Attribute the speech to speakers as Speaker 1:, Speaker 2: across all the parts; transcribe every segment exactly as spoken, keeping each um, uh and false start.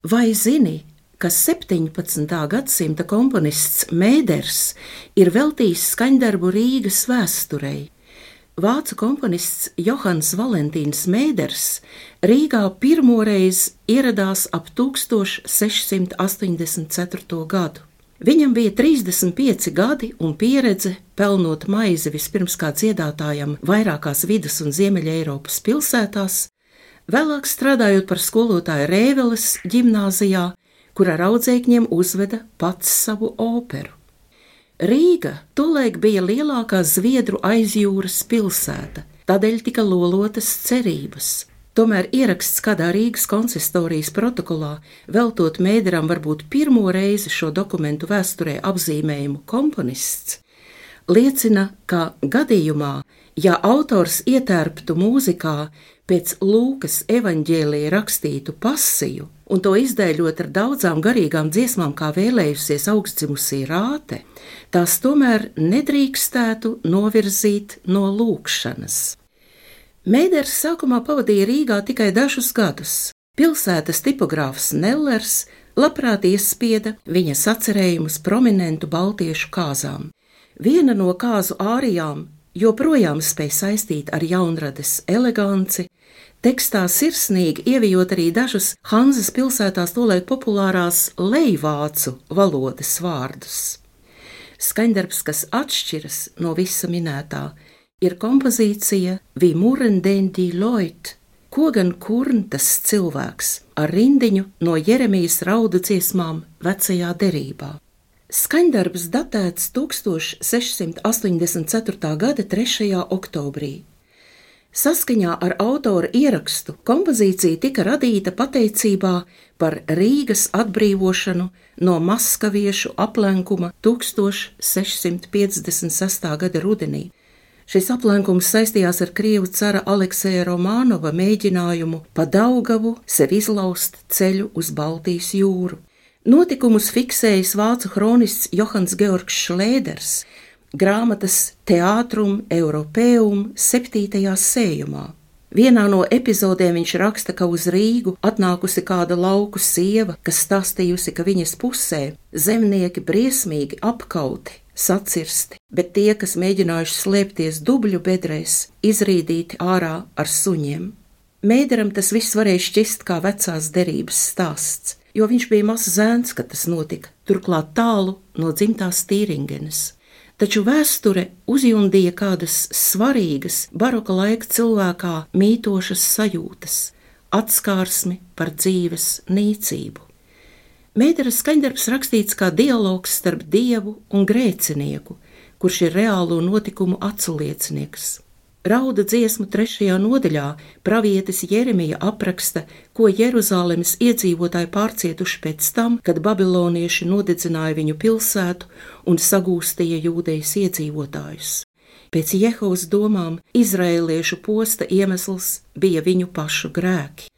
Speaker 1: Vai zini, ka septiņpadsmitā gadsimta komponists Mēders ir veltījis skaņdarbu Rīgas vēsturei? Vācu komponists Johans Valentīns Mēders Rīgā pirmoreiz ieradās ap tūkstoš sešsimt astoņdesmit ceturto gadu. Viņam bija trīsdesmit pieci gadi un pieredze pelnot maizi vispirms kā dziedātājam vairākās vidus un Ziemeļa Eiropas pilsētās, vēlāk strādājot par skolotāju Rēveles ģimnāzijā, kur ar audzēkņiem uzveda pats savu operu. Rīga tolaik bija lielākā Zviedru aizjūras pilsēta, tādēļ tika lolotas cerības. Tomēr ieraksts kādā Rīgas konsistorijas protokolā, veltot Mēderam varbūt pirmo reizi šo dokumentu vēsturē apzīmējumu komponists, liecina, ka gadījumā, ja autors ietērptu mūzikā pēc Lūkas evaņģēlija rakstītu pasiju un to izdēļot ar daudzām garīgām dziesmām, kā vēlējusies augstdzimusī Rāte, tās tomēr nedrīkstētu novirzīt no lūkšanas. Mēders sākumā pavadīja Rīgā tikai dažus gadus. Pilsētas tipogrāfs Nellers labprāt iespieda viņa sacerējumus prominentu baltiešu kāzām. Viena no kāzu ārijām joprojām spēj saistīt ar jaunrades eleganci, tekstā sirsnīgi ievijot arī dažus Hanzas pilsētās tolaik populārās lejvācu valodas vārdus. Skaņdarbs, kas atšķiras no visa minētā, ir kompozīcija Vi muren den die Leut, ko gan kurn tas cilvēks, ar rindiņu no Jeremijas raudu dziesmām vecajā derībā. Skaņdarbs datēts tūkstoš sešsimt astoņdesmit ceturtā gada trešajā oktobrī. Saskaņā ar autora ierakstu kompozīcija tika radīta pateicībā par Rīgas atbrīvošanu no maskaviešu aplenkuma tūkstoš sešsimt piecdesmit sestā gada rudenī. Šis aplenkums saistījās ar krievu cara Alekseja Romānova mēģinājumu pa Daugavu sev izlaust ceļu uz Baltijas jūru. Notikumus fiksējis vācu hronists Johans Georgs Šlēders grāmatas Teātrum Europeum septītajā sējumā. Vienā no epizodēm viņš raksta, ka uz Rīgu atnākusi kāda lauku sieva, kas stāstījusi, ka viņas pusē zemnieki briesmīgi apkauti, sacirsti, bet tie, kas mēģinājuši slēpties dubļu bedrēs, izrīdīti ārā ar suņiem. Mēderam tas viss varēja šķist kā vecās derības stāsts, jo viņš bija mazs zēns, kad tas notika, turklāt tālu no dzimtās Tīringenes. Taču vēsture uzjundīja kādas svarīgas baroka laika cilvēkā mītošas sajūtas, atskārsmi par dzīves nīcību. Mēdera skaņdarbs rakstīts kā dialogs starp dievu un grēcinieku, kurš ir reālo notikumu aculiecinieks. Rauda dziesmu trešajā nodaļā pravietis Jeremija apraksta, ko Jeruzalemes iedzīvotāji pārcietuši pēc tam, kad babilonieši nodedzināja viņu pilsētu un sagūstīja Jūdejas iedzīvotājus. Pēc Jehovas domām izraēliešu posta iemesls bija viņu pašu grēki.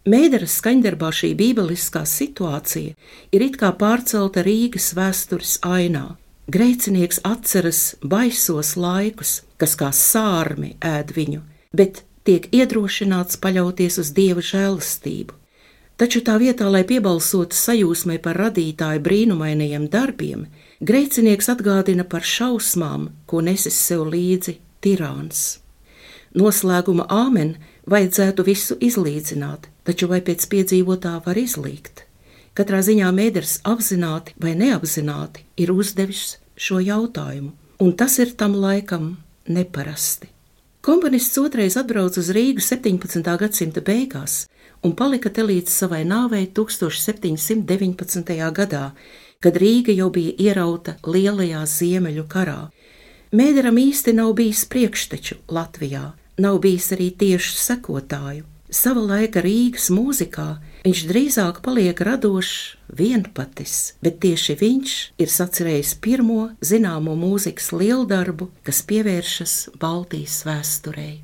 Speaker 1: Mēdera skaņdarbā šī bībeliskā situācija ir it kā pārcelta Rīgas vēstures ainā. Grēcinieks atceras baisos laikus, kas kā sārmi ēd viņu, bet tiek iedrošināts paļauties uz Dieva žēlastību. Taču tā vietā, lai piebalsotu sajūsmai par radītāju brīnumainajiem darbiem, grēcinieks atgādina par šausmām, ko nesis sev līdzi tirāns. Noslēguma āmen vajadzētu visu izlīdzināt, taču vai pēc piedzīvotā var izlīgt? Katrā ziņā Mēders apzināti vai neapzināti ir uzdevis šo jautājumu, un tas ir tam laikam neparasti. Komponists otrais atbrauca uz Rīgu septiņpadsmitā gadsimta beigās un palika te līdz savai nāvei tūkstoš septiņsimt deviņpadsmitajā gadā, kad Rīga jau bija ierauta lielajā Ziemeļu karā. Mēderam īsti nav bijis priekšteču Latvijā, nav bijis arī tiešu sekotāju. Sava laika Rīgas mūzikā viņš drīzāk paliek radošs vienpatis, bet tieši viņš ir sacerējis pirmo zināmo mūzikas lieldarbu, kas pievēršas Baltijas vēsturei.